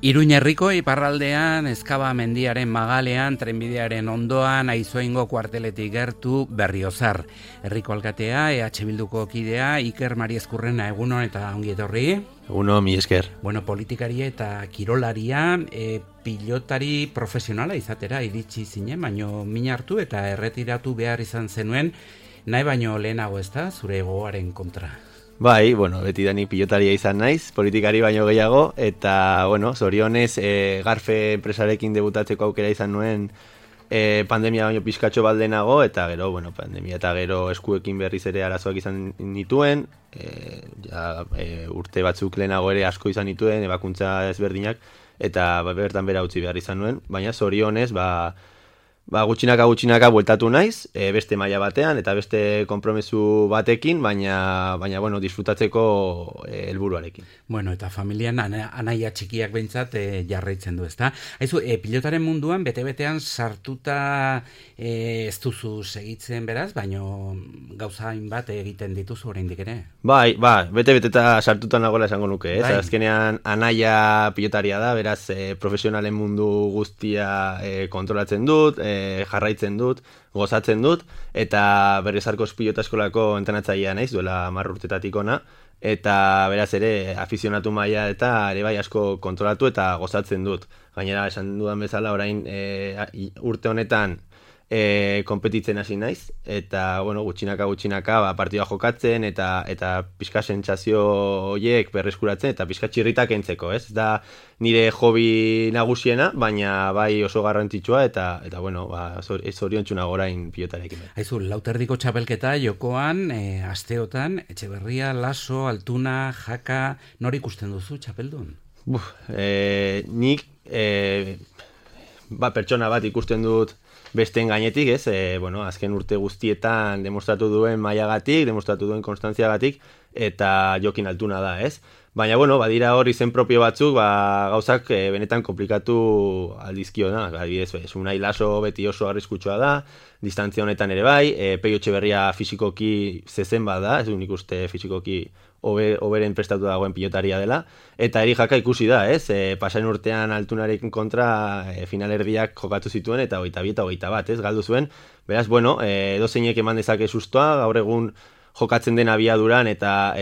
Iruña herriko iparraldean, Ezkaba mendiaren magalean, trenbidearen ondoan, Aizuaingo kuarteletik gertu Berriozar. Herriko alkatea, EH Bilduko kidea, Iker Mariezkurrena, egunon eta ongi etorri. Eguno, mi esker. Bueno, politikari eta kirolaria, pilotari profesionala izatera iritsi zinen, baino min hartu eta erretiratu behar izan zenuen, nahi baino lehenago ez da, zure gogoaren kontra. Bai, bueno, beti dani pilotaria izan naiz, politikari baino gehiago, eta, bueno, zorionez, Garfe enpresarekin debutatzeko aukera izan nuen pandemia baino pizkatxo baldenago, eta gero, bueno, pandemia eta gero eskuekin berriz ere arazoak izan nituen, urte batzuk lehenago ere asko izan nituen, ebakuntza ezberdinak, eta bertan bera utzi behar izan nuen, baina zorionez, gutxinaka bueltatu naiz, beste maila batean eta beste konpromesu batekin, baina bueno, disfrutatzeko helburuarekin. Bueno, eta familian anaia txikiak behintzat jarraitzen du, ezta? Haizu, pilotaren munduan bete-betean sartuta ez duzu segitzen beraz, baino gauza hainbat egiten dituzu oraindik ere? Bai, bete-beteta sartuta nagoela esango nuke, ez? Bai. Azkenean anaia pilotaria da, beraz profesionalen mundu guztia kontrolatzen dut, jarraitzen dut, gozatzen dut, eta Berriozarko pilota eskolako entrenatzailea naiz, duela 10 urtetatik ona, eta beraz ere afizionatu maila eta ere bai asko kontrolatu eta gozatzen dut. Gainera, esan dudan bezala, orain urte honetan konpetitzen hasi naiz, eta bueno, gutxinaka partida jokatzen eta pixka sentsazio horiek berreskuratzen eta pixka txirritak entzeko, ez? Da nire hobi nagusiena, baina bai oso garrantzitsua eta bueno, zoriontsu nago orain pilotarekin. Haizu, lauterdiko txapelketa jokoan, asteotan, Etxeberria, Laso, Altuna, Jaka, nor ikusten duzu txapeldun? Nik pertsona bat ikusten dut besteen gainetik, ez? Bueno, azken urte guztietan demostratu duen mailagatik, demostratu duen konstantziagatik, eta Jokin Altuna da, ez? Baina, bueno, badira hor izen propio batzuk, gauzak benetan komplikatu aldizkiona. Adibidez, Unai Laso beti oso arriskutsua da, distantzia honetan ere bai, Peio Etxeberria fisikoki zezen bat da, ez du nik uste fisikoki oberen prestatu dagoen pilotaria dela, eta Eri Jaka ikusi da, ez? Pasain urtean Altunarekin kontra finalerdiak jokatu zituen, eta 22 eta 21, ez? Galdu zuen. Beraz, bueno, edozeinek eman dezake sustoa, gaur egun jokatzen den abiaduran eta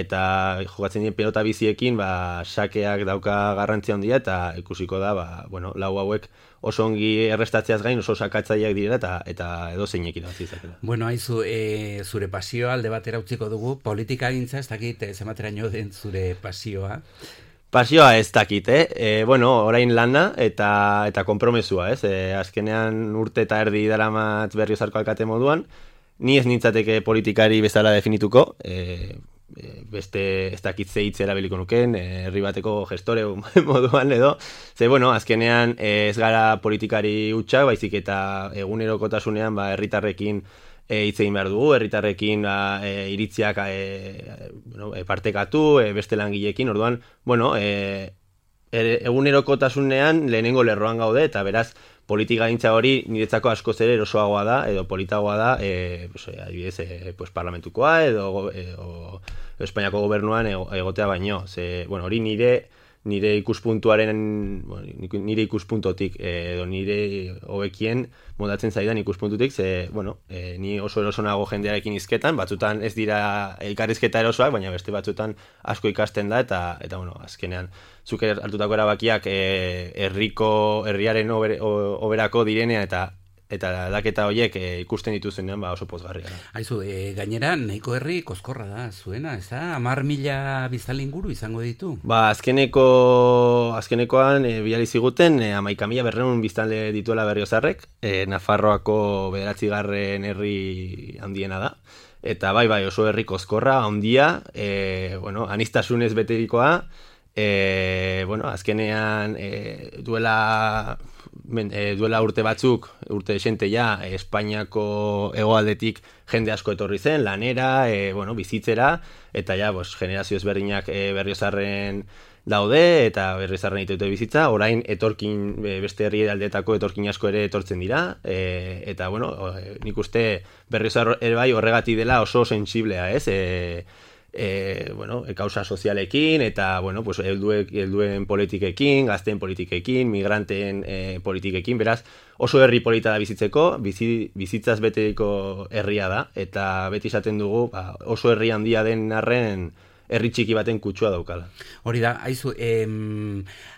jokatzen den pelota biziekin, sakeak dauka garrantzia handia eta ikusiko da, bueno, lau hauek oso ongi errestatzeaz gain oso sakatzaileak direla eta edozeinekin hasi izatela. Bueno, haizu, zure pasioa alde batera utziko dugu, politikagintza ez dakit zenbateraino den zure pasioa. Pasioa ez dakit, bueno, orain lana eta konpromesua, ez? Azkenean urte eta erdi daramat Berriozarko alkate moduan, ni ez nintzateke politikari bezala definituko, beste ez dakit ze hitz erabiliko nuken, herri bateko gestore moduan edo, ze, bueno, azkenean ez gara politikari hutsak, baizik eta egunerokotasunean herritarrekin hitz egin behar dugu, herritarrekin iritziak partekatu, beste langileekin, orduan, bueno, egunerokotasunean lehenengo lerroan gaude, eta beraz, politikagintza hori niretzako askoz ere erosoagoa da, edo politagoa da, adibidez, parlamentukoa, edo Espainiako gobernuan egotea baino. Bueno, hori nire nire ikuspuntuaren, nire ikuspuntotik, edo nire hobekien modatzen zaidan ikuspuntutik, ni oso eroso nago jendearekin hizketan, batzutan ez dira elkarrizketa erosoak, baina beste batzutan asko ikasten da, eta azkenean, zuk hartutako erabakiak herriaren oberako direnean, eta aldaketa horiek ikusten dituzenean oso pozgarria da. Aizu, gainera, nahiko herri koskorra da zuena, ez da? 10.000 biztanle inguru izango ditu? Azkenekoan bidali ziguten 11.500 biztanle dituela Berriozarrek, Nafarroako 9. herri handiena da. Eta bai, oso herri koskorra, handia, anistasunez beterikoa, azkenean duela urte batzuk, urte desente ja, Espainiako hegoaldetik jende asko etorri zen, lanera, bizitzera, eta ja, generazio ezberdinak Berriozarren daude, eta Berriozarren ditute bizitza, orain beste herri aldeetako etorkin asko ere etortzen dira, eta nik uste Berriozar ere bai horregatik dela oso sensiblea, ez? Kausa sozialekin, eta helduen politikekin, gazteen politikekin, migranteen politikekin, beraz, oso herri polita da bizitzeko, bizitzaz beteriko herria da, eta beti esaten dugu, oso herri handia den arren, herri txiki baten kutsua daukala. Hori da, aizu,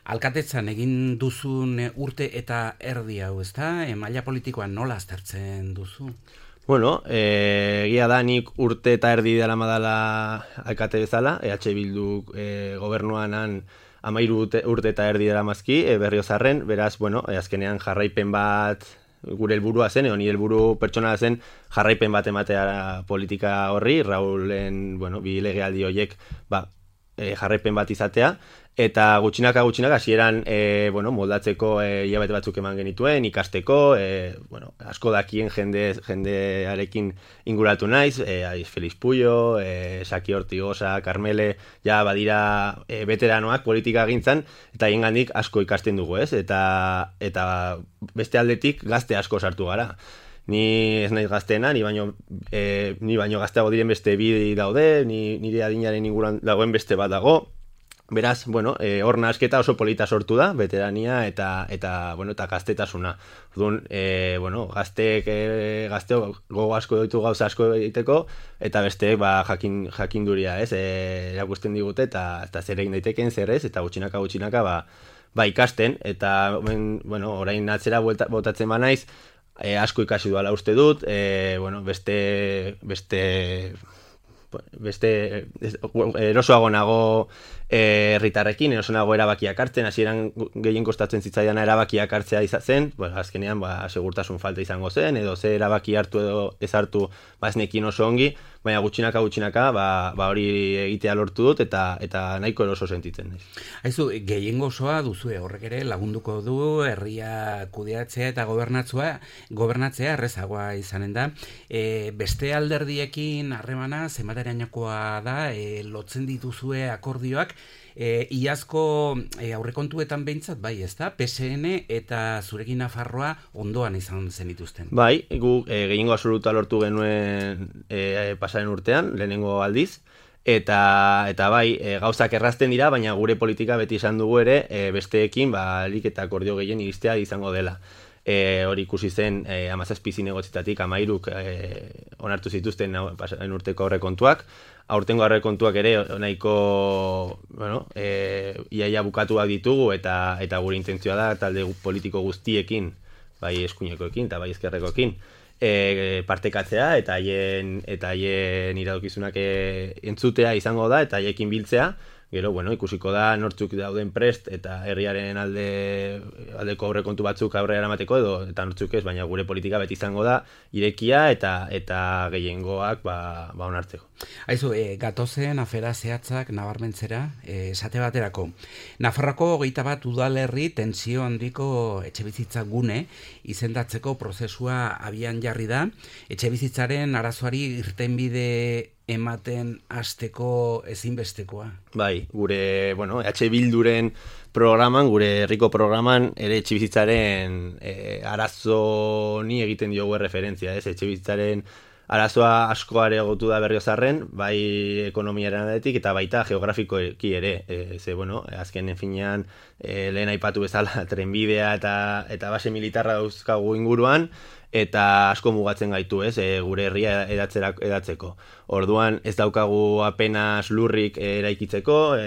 alkatetzan egin duzun urte eta erdi hau, ez da? Maila politikoan nola aztertzen duzu? Egia da nik urte eta erdi dela madala alkate bezala, EH Bildu gobernuan 13 urte eta erdi dela mazki, Berriozarren, beraz, azkenean jarraipen bat gure helburua zen, nire helburu pertsonala zen jarraipen bat ematea politika horri, Raulen, bi legealdi horiek, jarraipen bat izatea, eta gutxinaka hasieran moldatzeko hilabete batzuk eman genituen, ikasteko, asko dakien jendearekin inguratu naiz, Feliz Puyo, Saki Ortigosa, Carmele, ja badira veteranoak politika gintzan, eta hiengandik asko ikasten dugu, ez? Eta beste aldetik gazte asko sartu gara. Ni ez naiz gazteena, ni baino gazteago diren beste bi daude, nire adinaren inguruan dagoen beste bat dago. Beraz, hor nahasketa oso polita sortu da, veterania eta gaztetasuna. Orduan, gazteok gogo asko ditu gauza asko egiteko, eta beste jakinduria, ez? Erakusten digute eta zer egin daiteken zer ez, eta gutxinaka ikasten, eta orain atzera botatzen banaiz, asko ikasi duala uste dut, beste erosoago nago herritarrekin, erosoago erabakiak hartzen, hasieran gehien kostatzen zitzaidan erabakiak hartzea zen, azkenean segurtasun falta izango zen, edo ze erabaki hartu edo ez hartu ez nekin oso ongi, baina gutxinaka hori egitea lortu dut, eta nahiko eroso sentitzen naiz. Aizu, gehiengo osoa duzue, horrek ere lagunduko du herria kudeatzea eta gobernatzea errezagoa izanen da. Beste alderdiekin harremana zenbaterainokoa da, lotzen dituzue akordioak, iazko aurrekontuetan behintzat, bai, ez da? PSN eta zurekin Nafarroa ondoan izan zenituzten. Bai, gu gehiengo absoluta lortu genuen pasaren urtean, lehenengo aldiz, eta bai, gauzak errazten dira, baina gure politika beti esan dugu ere, besteekin, alik eta akordio gehien iristea izango dela. Hori ikusi zen 17 zinegotzitatik 13 onartu zituzten pasaren urteko aurrekontuak. Aurtengo aurrekontuak ere nahiko iaia bukatuak ditugu, eta gure intentzioa da talde politiko guztiekin, bai eskuinekoekin eta bai ezkerrekoekin, partekatzea eta haien iradokizunak entzutea izango da, eta haiekin biltzea. Gero, ikusiko da nortzuk dauden prest eta herriaren aldeko aurrekontu batzuk aurrera eramateko eta nortzuk ez, baina gure politika beti izango da irekia eta gehiengoak onartzeko. Aizu, gatozen afera zehatzak nabarmentzera, esate baterako. Nafarroako 21 udalerri tentsio handiko etxebizitza gune izendatzeko prozesua abian jarri da. Etxebizitzaren arazoari irtenbide ematen hasteko ezinbestekoa. Bai, gure, EH Bilduren programan, gure herriko programan, ere etxebizitzaren arazo ni egiten diogu referentzia, ez? Etxebizitzaren arazoa asko areagotu da Berriozarren, bai ekonomiaren aldetik eta baita geografikoki ere. Ze, bueno, azken finean lehen aipatu bezala trenbidea eta base militarra dauzkagu inguruan, eta asko mugatzen gaitu, gure herria edatzeko. Orduan ez daukagu apenas lurrik eraikitzeko,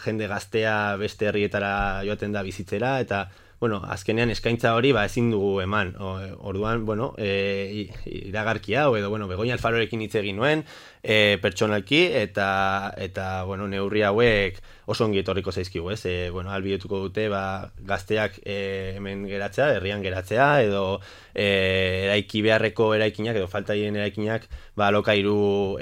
jende gaztea beste herrietara joaten da bizitzera, eta bueno, azkenean eskaintza hori ezin dugu eman. Orduan, bueno, iragarki hau edo bueno, Begoña Alfarorekin hitz egin nuen, pertsonalki eta bueno, neurri hauek oso ongi etorriko zaizkigu, bueno, ahalbidetuko dute gazteak hemen geratzea, herrian geratzea edo eraiki beharreko eraikinak edo faltaien eraikinak alokairu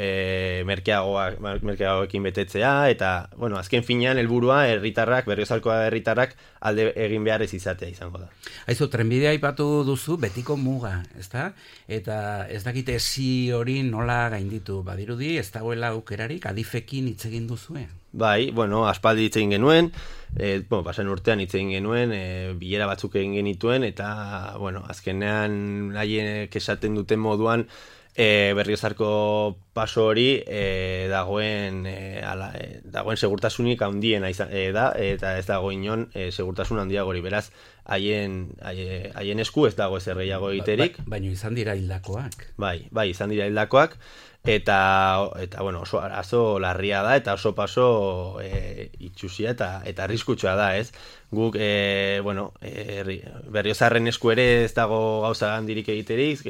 merkeagoekin betetzea eta bueno, azken finean helburua herritarrak, Berriozarko herritarrak alde egin behar ez izatea izango da. Aizu, trenbidea aipatu duzu betiko muga, ezta? Eta ez dakite esi hori nola gainditu, badirudi ez dagoela aukerarik adifekin hitz egin duzue? Bai, bueno, aspaldi hitz egin genuen, pasan urtean hitz egin genuen, bilera batzuk egin genituen, eta, bueno, azkenean haiek esaten duten moduan, Berriozarko paso hori dagoen segurtasunik handiena da, eta ez dago inon segurtasun handiagori, beraz, haien esku ez dago ezer gehiago egiterik. Baina izan dira hildakoak. Bai, izan dira hildakoak, eta bueno, oso arazo larria da, eta oso paso itxusia eta arriskutsua da, ez? Guk, bueno, Berriozarren esku ere ez dago gauza handirik egiterik,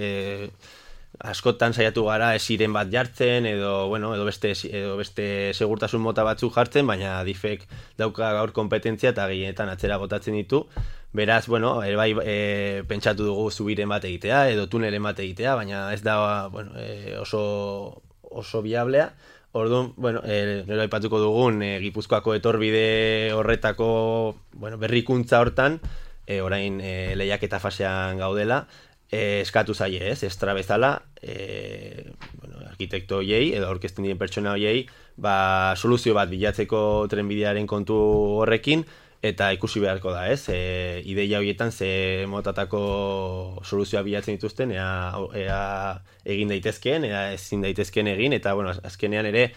askotan saiatu gara esiren bat jartzen edo beste segurtasun mota batzuk jartzen, baina adifek dauka gaur kompetentzia eta gehienetan atzera botatzen ditu. Beraz, bueno, pentsatu dugu zubiren bat egitea edo tunelen bat egitea, baina ez da oso viablea. Orduan, bueno, gero aipatuko dugun Gipuzkoako etorbide horretako berrikuntza hortan, orain lehiaketa fasean gaudela, eskatu zaie, estra bezala, arkitekto hoiei edo aurkezten diren pertsona hoiei, soluzio bat bilatzeko trenbidearen kontu horrekin, eta ikusi beharko da, ideia horietan ze motatako soluzioa bilatzen dituzten, ea egin daitezkeen, ea ezin daitezkeen egin, eta bueno, azkenean ere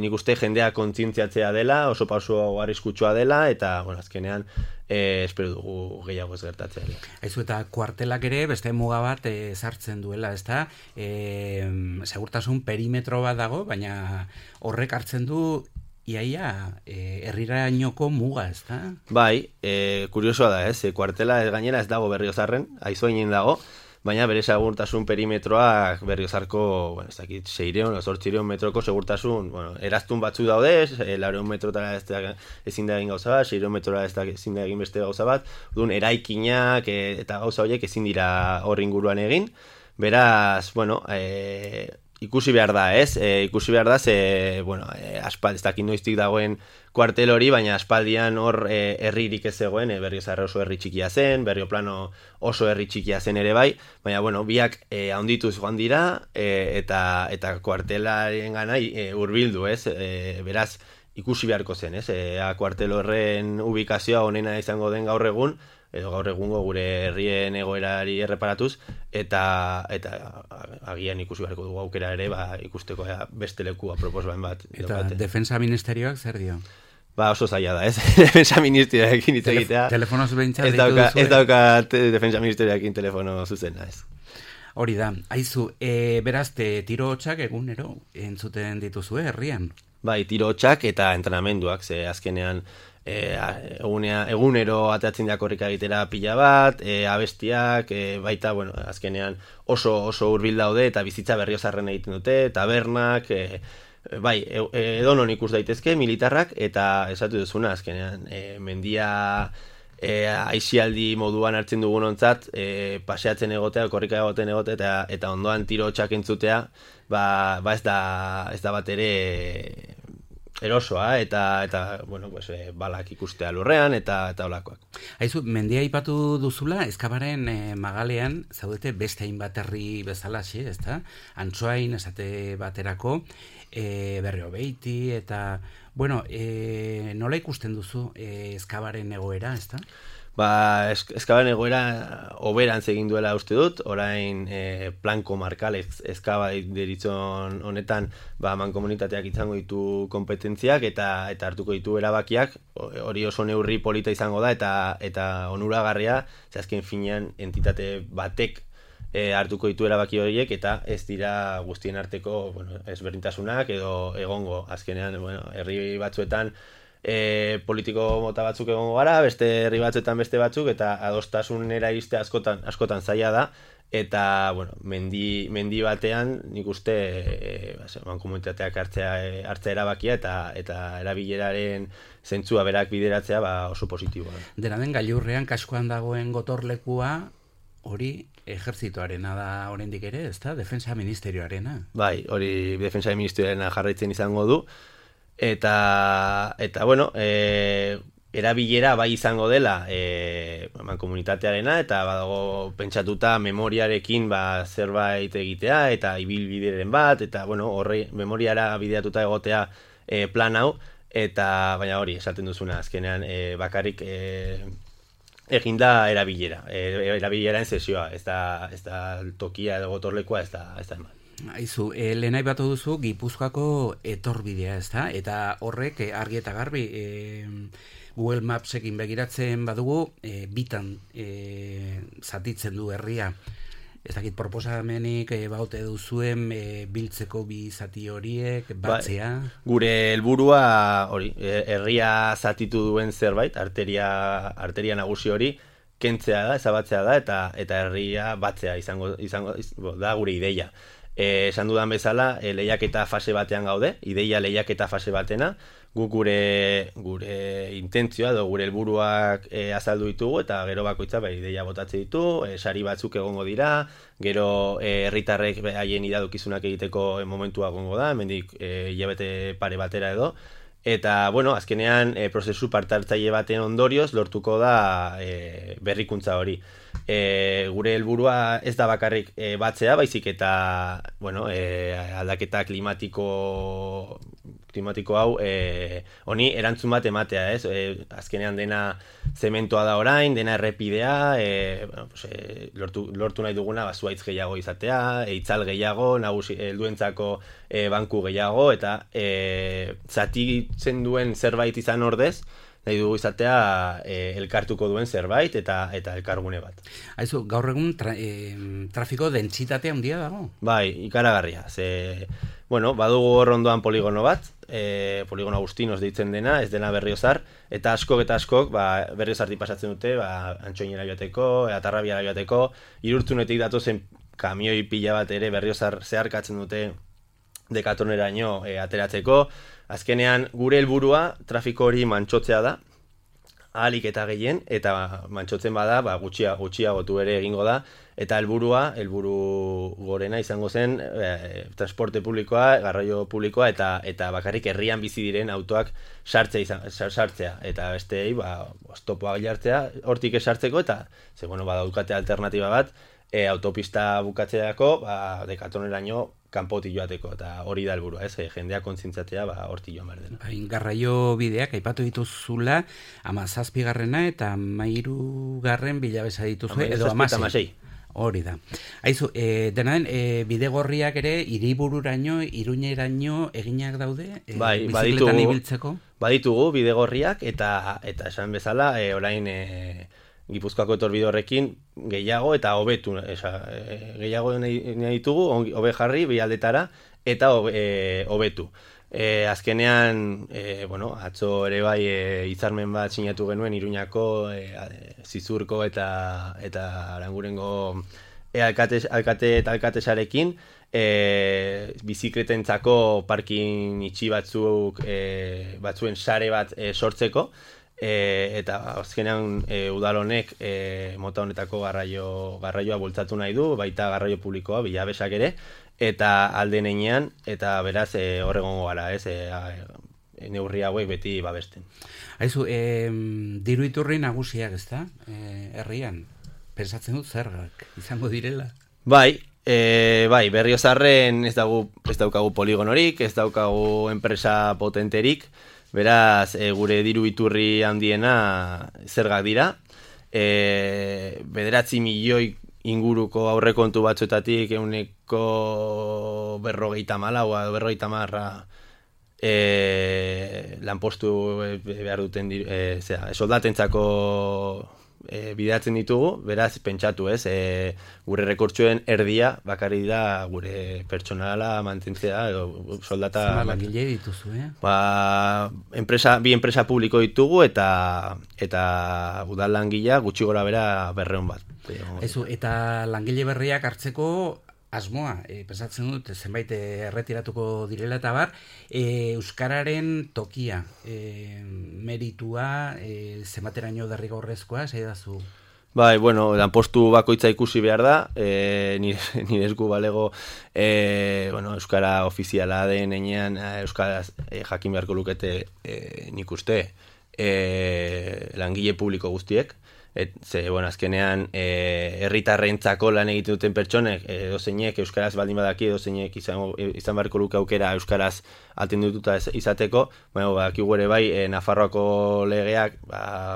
nik uste jendea kontzientziatzea dela, oso pauso arriskutsua dela, eta bueno, azkenean espero dugu gehiago ez gertatzea. Aizu, eta kuartelak ere beste muga bat sartzen duela, ezta? Segurtasun perimetro bat dago, baina horrek hartzen du iaia herrirainoko muga, ezta? Bai, kuriosoa da, kuartela gainera ez dago Berriozarren, Aizoinen dago, baina bere segurtasun perimetroak Berriozarko, ez dakit, 600 o 800 metroko segurtasun, eraztun batzu daude, 400 metrotara ezin da egin gauza bat, 600 metrotara ezin da egin beste gauza bat, orduan eraikinak eta gauza horiek ezin dira hor inguruan egin, beraz, bueno, ikusi behar da, ikusi behar da, aspaldi, ez dakit noiztik dagoen kuartel hori, baina aspaldian hor herririk ez zegoen, Berriozarra oso herri txikia zen, Berrioplano oso herri txikia zen ere bai, baina, bueno, biak handituz joan dira, eta kuartelaren gana hurbildu, beraz, ikusi beharko zen, kuartel horren ubikazioa onena izango den gaur egun, edo gaur egungo gure herrien egoerari erreparatuz, eta agian ikusi beharko dugu aukera ere, ikusteko beste leku aproposbain bat. Eta Defensa Ministerioak zer dio? Oso zaila da, Defensa Ministerioarekin hitz egitea. Telefono zubentzat ditu duzu? Ez dauka Defensa Ministerioarekin telefono zuzena, ez. Hori da, aizu, beraz, tiro hotxak egunero entzuten dituzue herrian? Bai, tiro hotxak eta entrenamenduak, ze azkenean egunero atatzen da korrika egitera pila bat, abestiak, baita, bueno, azkenean oso hurbil daude eta bizitza Berriozarren egiten dute, tabernak, bai, edonon ikus daitezke militarrak, eta esatu duzuna, azkenean, mendia aizialdi moduan hartzen dugun ontzat, paseatzen egotea, korrika egoten egotea, eta ondoan tiro hotxak entzutea, ez da bat ere erosoa, eta bueno, balak ikustea lurrean, eta holakoak. Aizu, mendia aipatu duzula, Ezkabaren magalean, zaudete beste hainbat herri bezalaxe, ezta? Antsoain, esate baterako, Berriobeiti, eta, bueno, nola ikusten duzu Ezkabaren egoera, ezta? Eskaban egoera oberantz egin duela uste dut, orain plan komarkal eskaba deritzon honetan mankomunitateak izango ditu kompetentziak eta hartuko ditu erabakiak, hori oso neurri polita izango da eta onuragarria, azken finean entitate batek hartuko ditu erabaki horiek eta ez dira guztien arteko ezberdintasunak edo egongo, azkenean herri batzuetan politiko mota batzuk egongo gara, beste herri batzuetan beste batzuk, eta adostasunera iriste askotan zaila da, eta mendi batean nik uste mankomunitateak hartzea erabakia eta erabileraren zentzua berak bideratzea oso positiboa. Dena den gailurrean kaskoan dagoen gotorlekua hori ejertzitoarena da oraindik ere, ezta? Defensa Ministerioarena. Bai, hori Defensa Ministerioarena jarraitzen izango du. Eta erabilera bai izango dela mankomunitatearena eta badago pentsatuta memoriarekin zerbait egitea eta ibilbideren bat eta horri memoriara bideratuta egotea plan hau eta baina hori esaten duzuna azkenean bakarrik eginda erabileraren sesioa, ez da tokia edo gotorlekua ez da eman. Aizu, lehen aipatu duzu Gipuzkoako etorbidea, ezta? Eta horrek argi eta garbi Google Mapsekin begiratzen badugu bitan zatitzen du herria. Ez dakit proposamenik baute duzuen biltzeko bi zati horiek batzea. Gure helburua hori, herria zatitu duen zerbait, arteria nagusi hori kentzea da, ezabatzea da eta herria batzea izango da gure ideia. Esan dudan bezala, lehiaketa fase batean gaude, ideia lehiaketa fase batena, guk gure intentzioa edo gure helburuak azaldu ditugu eta gero bakoitza ideia botatze ditu, sari batzuk egongo dira, gero herritarrek haien iradokizunak egiteko momentua egongo da, hemendik hilabete pare batera edo, eta azkenean prozesu parte-hartzaile baten ondorioz lortuko da berrikuntza hori. Gure helburua ez da bakarrik batzea, baizik eta aldaketa klimatiko hau honi erantzun bat ematea, ez? Azkenean dena zementoa da orain, dena errepidea, lortu nahi duguna zuhaitz gehiago izatea, itzal gehiago, nagusi helduentzako banku gehiago, eta zatitzen duen zerbait izan ordez, nahi dugu izatea elkartuko duen zerbait eta elkargune bat. Aizu, gaur egun trafiko dentsitate handia dago? Bai, ikaragarria. Badugu hor ondoan poligono bat, poligono Agustinos deitzen dena, ez dena Berriozar, eta askok Berriozartik pasatzen dute, Antxoinera joateko, Atarrabiara joateko, Irurtzunetik datozen kamioi pila bat ere Berriozar zeharkatzen dute Dekatoneraino ateratzeko. Azkenean gure helburua trafiko hori mantsotzea da, ahalik eta gehien, eta mantsotzen bada, gutxiagotu ere egingo da, eta helburu gorena izango zen transporte publikoa, garraio publikoa, eta bakarrik herrian bizi diren autoak sartzea, eta besteei oztopoa jartzea, hortik esartzeko, eta badaukate alternatiba bat, autopista bukatzeako, Dekatoneraino kanpotik joateko, eta hori da helburua, jendea kontzintzatzea hortik joan behar dena. Garraio bideak aipatu dituzula, 17. eta 13. bilabesa dituzu, edo 16. Hori da. Aizu, dena den, bidegorriak ere hiribururaino, Iruñeraino eginak daude? Bizikletan ibiltzeko? Baditugu bidegorriak, eta esan bezala, orain Gipuzkoako etorbide horrekin gehiago eta hobetu, gehiago nahi ditugu, hobe jarri, bialdetara, eta hobetu. Azkenean, atzo ere bai hitzarmen bat sinatu genuen Iruñako, Zizurko eta Arangurengo alkate eta alkatesarekin, bizikletentzako parkin itxi batzuen sare bat sortzeko, eta azkenean udal honek mota honetako garraioa bultzatu nahi du, baita garraio publikoa, bilabesak ere, eta alden einean, eta beraz horregongo gara, neurri hauek beti babesten. Aizu, diru iturri nagusiak, ezta? Herrian, pensatzen dut zergak izango direla? Bai, Berriozarren ez daukagu poligonorik, ez daukagu enpresa potenterik, beraz, gure diru iturri handiena zergak dira, 9 milioi inguruko aurrekontu batzuetatik 150 lanpostu behar duten soldatentzako bideratzen ditugu, beraz pentsatu ez, gure rekurtsuen erdia bakarri da gure pertsonala mantentzea edo soldata. Zer langile dituzu, Bi enpresa publiko ditugu eta udal langilea gutxi gora bera 200 bat. Eta langile berriak hartzeko asmoa, pensatzen dut, zenbait erretiratuko direla eta bar, euskararen tokia, meritua, zenbateraino derrigorrezkoa, zaidazu? Bai, lanpostu bakoitza ikusi behar da, nire esku balego, euskara ofiziala den enean, euskaraz jakin beharko lukete nik uste, langile publiko guztiek, azkenean herritarrentzako lan egiten duten pertsonek edozeinek euskaraz baldin badaki, edozeinek izan beharko luke aukera euskaraz atendututa izateko, badakigu ere bai Nafarroako legeak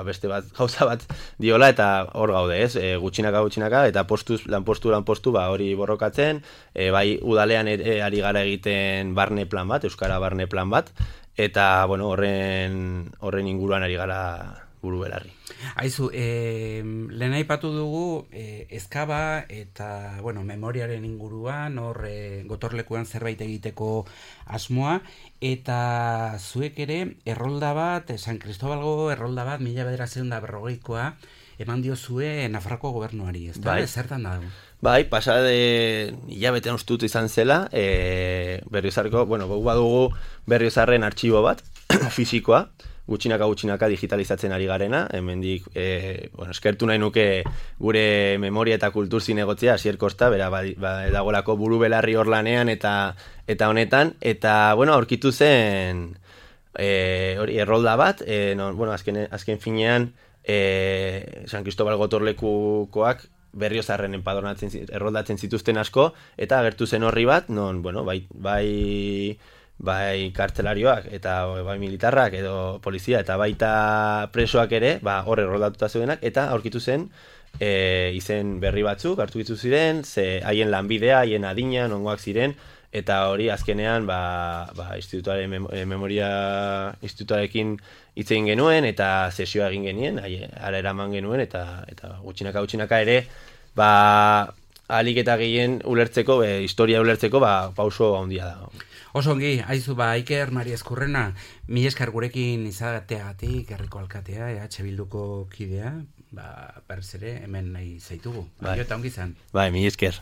beste bat gauza bat diola eta hor gaude, gutxinaka eta lanpostu hori borrokatzen, bai udalean ari gara egiten barne plan bat, euskara barne plan bat, eta horren inguruan ari gara buru belarri. Aizu, lehen aipatu dugu ezkaba eta memoriaren inguruan, gotorlekuan zerbait egiteko asmoa, eta zuek ere errolda bat, San Cristobalgo errolda bat, 1940koa, eman diozue Nafarroako gobernuari, ez da? Zertan dago? Bai, pasade hilabetean ustut izan zela, Berriozarko, badugu Berriozarren artxibo bat, fisikoa, gutxinaka digitalizatzen ari garena, hemendik eskertu nahi nuke gure memoria eta kultur zinegotzea, Asier Kosta, bera dagolako buru belarri hor lanean eta honetan, eta aurkitu zen errolda bat, azken finean San Cristobal gotorlekukoak Berriozarren erroldatzen zituzten asko, eta agertu zen horri bat, non, bai kartzelarioak eta bai militarrak edo polizia eta baita presoak ere, hor erroldatuta zeudenak, eta aurkitu zen izen berri batzuk hartu ditu ziren, haien lanbidea, haien adina, nongoak ziren, eta hori azkenean institutuaren memoria institutuarekin hitz egin genuen eta sesioa egin genien, ara eraman genuen eta gutxinaka ere ahalik eta gehien ulertzeko, historia ulertzeko pauso handia da. Oso ongi, aizu Iker Mariezkurrena, mila esker gurekin izateagatik, herriko alkatea, EH Bilduko kidea, berriz ere hemen nahi zaitugu. Bai, eta ongi izan. Bai, mila esker.